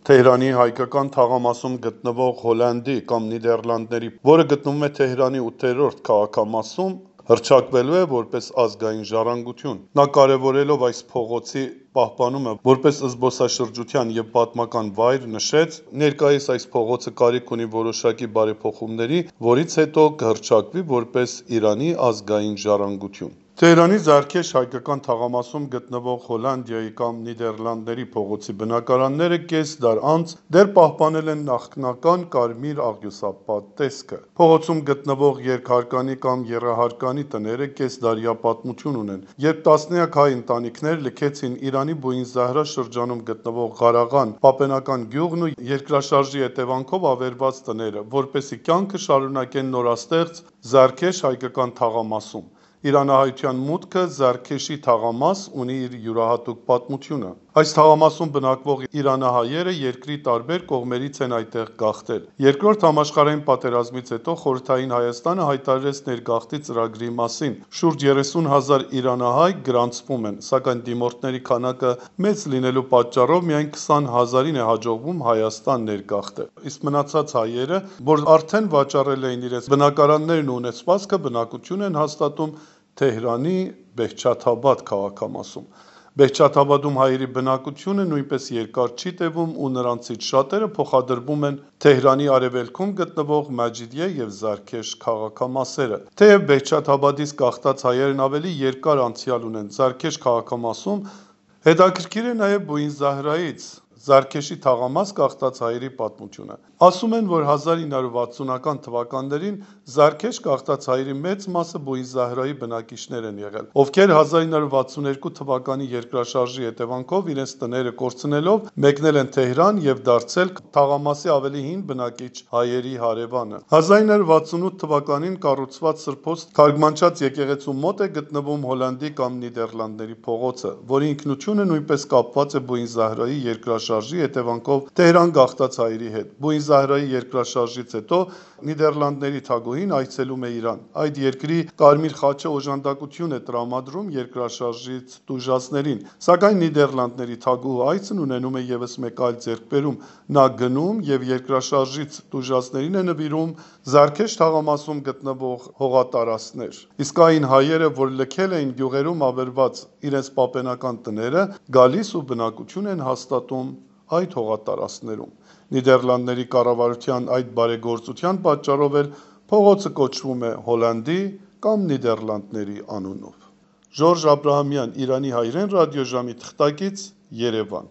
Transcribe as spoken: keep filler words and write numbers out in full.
Թեհրանի հայկական թաղամասում գտնվող Հոլանդի կամ Նիդերլանդների, որը գտնվում է Թեհրանի ութերորդ քաղաքամասում, հռչակվելու է որպես ազգային ժառանգություն։ Նա կարևորելով այս փողոցի պահպանումը որպես զբոսաշրջության և պատմական վայր, նշեց. «Ներկայիս այս փողոցը կարիք ունի որոշակի բարեփոխումների, որից հետո կհռչակվի որպես Իրանի ազգային ժառանգություն»։ Թեհրանի Զարքեշ հայկական թաղամասում գտնվող Հոլանդիայի կամ Նիդերլանդների փողոցի բնակարանները կես դար անց դեռ պահպանել են նախնական կարմիր աղյուսապատ տեսքը։ Փողոցում գտնվող երկհարկանի կամ եռահարկանի տները կեսդարյա պատմություն ունեն, երբ տասնյակ հայ ընտանիքներ լքեցին Իրանի Բուին-Զահրա շրջանում գտնվող Ղարաղան պապենական գյուղն ու երկրաշարժի հետևանքով ավերված տները, որպեսզի կյանքը շարունակեն նորաստեղծ Զարքեշ հայկական թաղամասում։ Իրանահայության մուտքը Զարքեշի թաղամաս ունի իր յուրահատուկ պատմությունը։ Այս թաղամասում բնակվող իրանահայերը երկրի տարբեր կողմերից են այդտեղ գաղթել։ Երկրորդ համաշխարհային պատերազմից հետո Խորհրդային Հայաստանը հայտարարեց ներգաղթի ծրագրի մասին։ Շուրջ երեսուն հազար իրանահայ գրանցվում են, սակայն դիմորդների քանակը մեծ լինելու պատճառով միայն քսան հազարին է հաջողվում Հայաստան ներգաղթել։ Իսկ մնացած հայերը, որ արդեն վաճառել էին իրենց բնակարաններն ու ունեցվածքը, բնակություն են հաստատում Թեհրանի Բեհչաթաբադ քաղաքամասում։ Բեհչաթաբադում հայերի բնակությունը նույնպես երկար չի տևում ու նրանցից շատերը փոխադրվում են Թեհրանի արևելքում գտնվող Մաջիդիե և Զարքեշ քաղաքամասերը։ Թեև Բեհչաթաբադից գաղթած հայերն ավելի երկար անցյալ ունեն Զարքեշ քաղաքամասում, հետաքրքիր է նաև Բուին-Զահրայից Զարքեշի թաղամաս գաղթած հայերի պատմությունը։ Ասում են, որ հազար ինը հարյուր վաթսունական թվականներին Զարքեշ գաղթած հայերի մեծ մասը Բուին-Զահրայի բնակիչներ են եղել, ովքեր հազար ինը հարյուր վաթսունյոթ թվականի երկրաշարժի հետևանքով իրենց տները կորցնելով մեկնել են Թեհրան և դարձել թաղամասի ավելի հին բնակիչ հայերի հարևանը։ հազար ինը հարյուր վաթսունութ թվականին կառուցված սրբոց թարգմանչած եկեղեցու մոտ է գտնվում Հոլանդի կամ Նիդերլանդների փողոցը, որի ինքնությունը նույնպես կապված է Բուին-Զահրայի երկրաշարժի հետևանքով Թեհրան գաղթած հայերի հետ։ Բուին-Զահրայի երկրաշարժից հետո Նիդերլանդների թագուհին այցելում է Իրան։ Այդ երկրի Կարմիր խաչը օժանդակություն է տրամադրում երկրաշարժից տուժածներին, սակայն Նիդերլանդների թագուհու այցն ունենում է ևս մեկ այլ ձեռքբերում։ Նա գնում և երկրաշարժից տուժածներին է նվիրում Զարքեշ թաղամասում գտնվող հողատարածքներ։ Իսկ այն հայերը, որ լքել էին գյուղերում ավերված իրենց պապենական տները, գալիս ու բնակություն են հաստատում այդ հողատարածքներում։ Նիդերլանդների կառավարության այդ բարեգործության պատճառով էլ փողոցը կոչվում է Հոլանդի կամ Նիդերլանդների անունով։ Ժորժ Աբրահամյան, Իրանի հայրեն ռադիոժամի թղթակից, Երևան։